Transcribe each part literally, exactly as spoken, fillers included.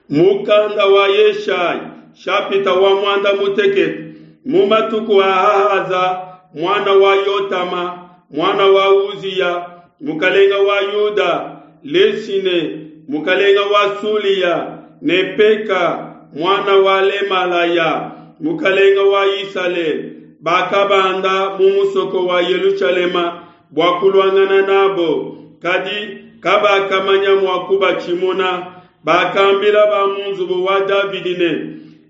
Mukanda wa Yeshayi, nshapita wa muanda mutekete. Mu matuku a Ahaza muana wa Yotama muana wa Uziya mukalenga wa Yuda, Lesine mukalenga wa Sulia ne Peka muana wa Lemalaya mukalenga wa Isalele bakabanda mu musoko wa Yelushalema bua kuluangana nabo, kadi kabakamanya mua kubatshimuna. Bakambila ba mu nzubu wa Davidi ne,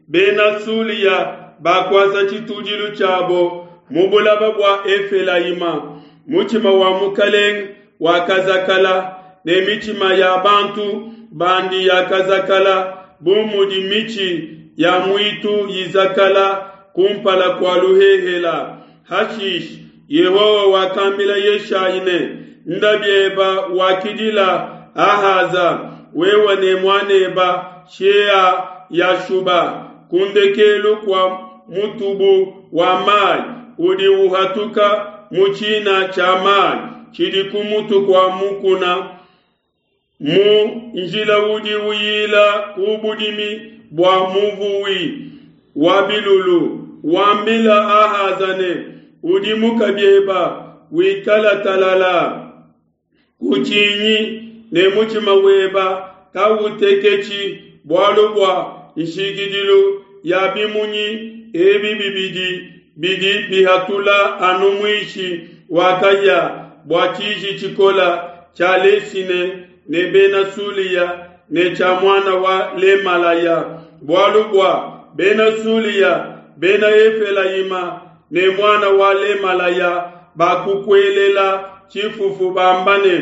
Bena Sulia bakuasa tshitudilu tshiabo mu bulaba bua Efelayima. Mutshima wa mukalenge wakazakala, ne mitshima ya bantu bandi yakazakala bu mudi mitshi ya muitu izakala kumpala kua luhehela. Hashishe Yehowa wakambila Yeshayi ne, Nda bieba wakidila Ahaza, wewe ne muaneba Shea-yashuba, ku ndekelu kua mutubu wa mai udi uhatuka mu tshina tshia mai tshidi ku mutu kua mukuna, mu njila udi uyila ku budimi bua muvuwi wa bilulu. Wambila Ahaza ne, Udimuka bieba, wikala talala, kutshinyi ne mutshima weba kauteketshi, bualu bua nshikidilu ya bimunyi ebi bibidi bidi bihatula anu muishi wa kahia bua tshiji tshikole tshia Lesine ne Bena Sulia ne tshia muana wa Lemalaya. Bualu bua Bena Sulia, Bena Efelayima ne muana wa Lemalaya bakukuelela tshifufu bamba ne,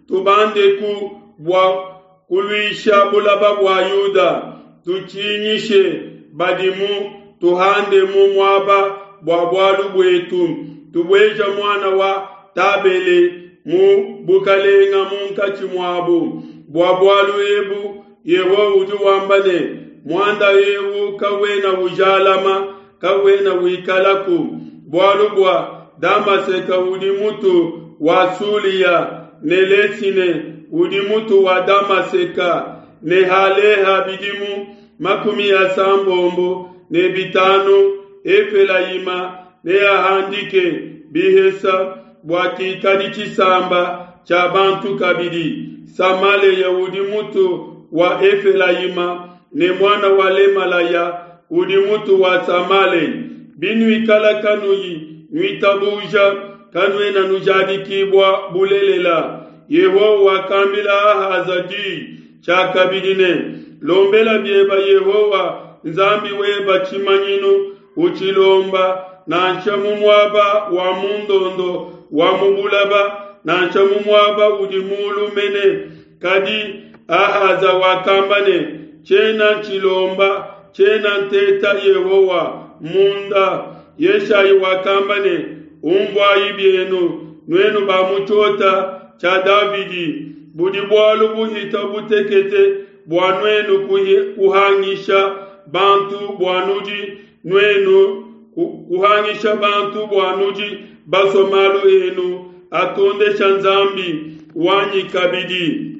Tubandeku bua kuluisha bulaba bua Yuda, tutshinyishe badimu, tuhandemu muaba bua bualu buetu, tubueja muana wa Tabele mu bukalenga munkatshi muabu. Bua bualu ebu Yehowa udi wamba ne, muanda eu kawena ujalama, kawena wikalaku, bualu bua Damaseke udi mutu wa Sulia, ne Lesine udi mutu wa Damaseka, ne haleha bidimu makumi asambombo ne bitanu, Efelayima neahandike bihesa bua kikadi tshisamba tshia bantu kabidi. Samalea udi mutu wa Efelayima, ne muana wa Lemalaya udi mutu wa Samalea. Binuikala kanuyi nuitabuja, kanuena nujadikibua bulelela. Yehowa wakambila Ahaza di tshiakabidi ne, Lombela bieba Yehowa Nzambi weba tshimanyinu, utshilomba nansha mu muaba wa mundondo wa mu bulaba, nansha mu muaba udi mulu mene. Kadi Ahaza wakamba ne, Tshiena ntshilomba, tshiena nteta Yehowa munda. Yeshayi wakamba ne, Unvuayi bienu, nuenu ba mu tshiota tshia Davidi, budi bualu buhita butekete bua nuenu kuhangisha bantu bua nudi nuenu kuhangisha bantu bua nudi basue malu enu atondesha Nzambi wanyi kabidi.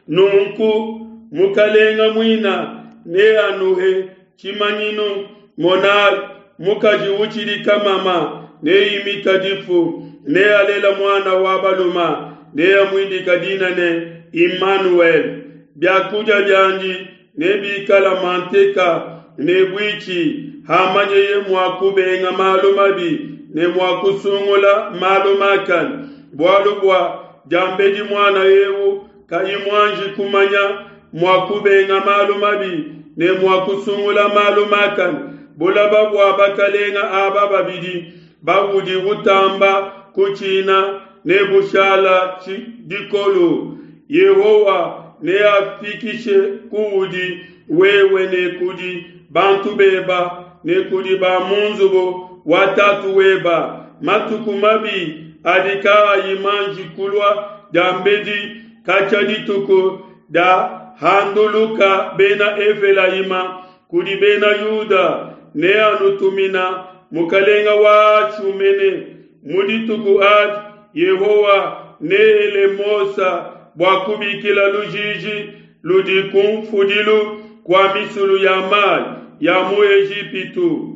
Nunku mukalenga muina neanuhe tshimanyinu, monai, mukaji utshidi kamama neimita difu, nealela muana wa baluma, neamuidika dina ne Immanuel. Biakudia biandi nebikala manteka ne buitshi, hamanyeye mua kubenga malu mabi ne mua kusungula malu makane. Bualu bua diambedi muana eu kayi muanji kumanya mua kubenga malu mabi ne mua kusungula malu makane, bulaba bua bakalenga aba babidi baudi utamba kutshina ne bushala dikolo. Yehowa neafikishe kuudi wewe ne kudi bantu beba ne kudi ba mu nzubu wa tatu weba matuku mabi adi kaayi manji kulua diambedi katshia dituku dia handuluka Bena Efelayima kudi Bena Yuda, neanutumina mukalenga wa Ashu mene. Mu dituku adi Yehowa neele Mosa bua kubikila lujiji ludi kunfudilu kua misulu ya mai ya mu Ejipitu,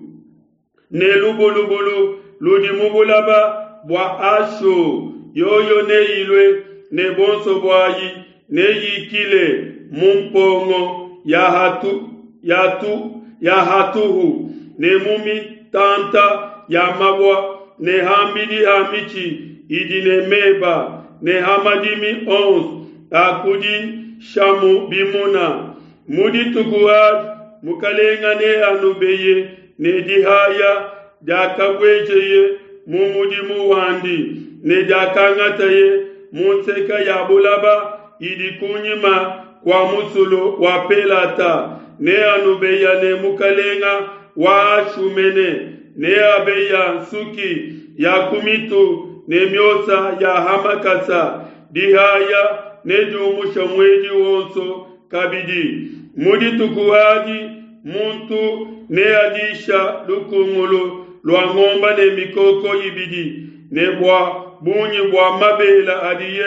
ne lubulubulu ludi mu bulaba bua Ashu, yoyo neyilue ne buonso buayi neyikile mu mpongo ya hatu, ya tu, ya hatuhu ne mu mitanta ya mabua ne hambidi ha mitshi idi ne meba ne ha madimi onso a kudishamu bimuna. Mu dituku adi mukalenga neanubeye ne dihaya diakabuejeye mu mudimu wandi ne diakangataye mu nseka ya bulaba idi kunyima kua musulu wa Pelata. Neanubeya ne mukalenga wa Ashu mene, neabeya nsuki ya ku mitu ne miosa ya hamakasa. Dihaya nediumusha muedi wonso kabidi. Mu dituku adi muntu neadisha lukungulu lua ngomba ne mikoko ibidi, ne bua bungi bua mabela adiye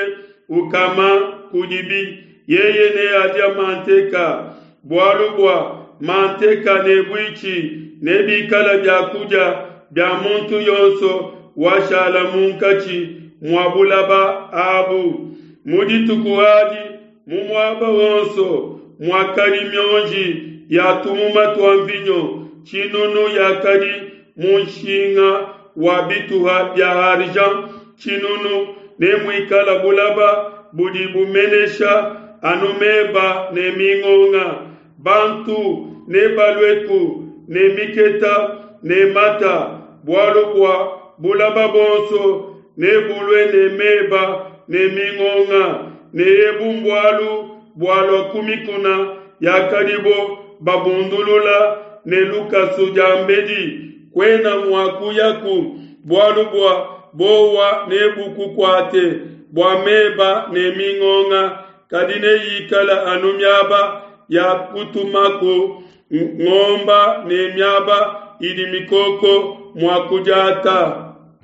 ukama kudibi, yeye neadia manteka. Bualu bua manteka ne buitshi nebikala bia kudia bia muntu yonso washala munkatshi mua bulaba abu. Mu dituku adi mu muaba wonso muakadi mionji ya tumuma tua mvinyo tshinunu yakadi mu nshinga wa bituha bia argent tshinunu, ne muikala bulaba budi bumenesha anu meba ne mingonga. Bantu nebalueku ne miketa ne mata, bualu bua bulaba bonso nebulue ne meba ne mingonga, ne ebu mbualu bualua ku mikuna yakadibo babundulula ne lukasu diambedi. Kuena mua kuyaku, bualu bua bowa nebukukuate bua meba ne mingonga, kadi neyikala anu miaba ya kutumaku ngomba ne miaba idi mikoko mua kudiata.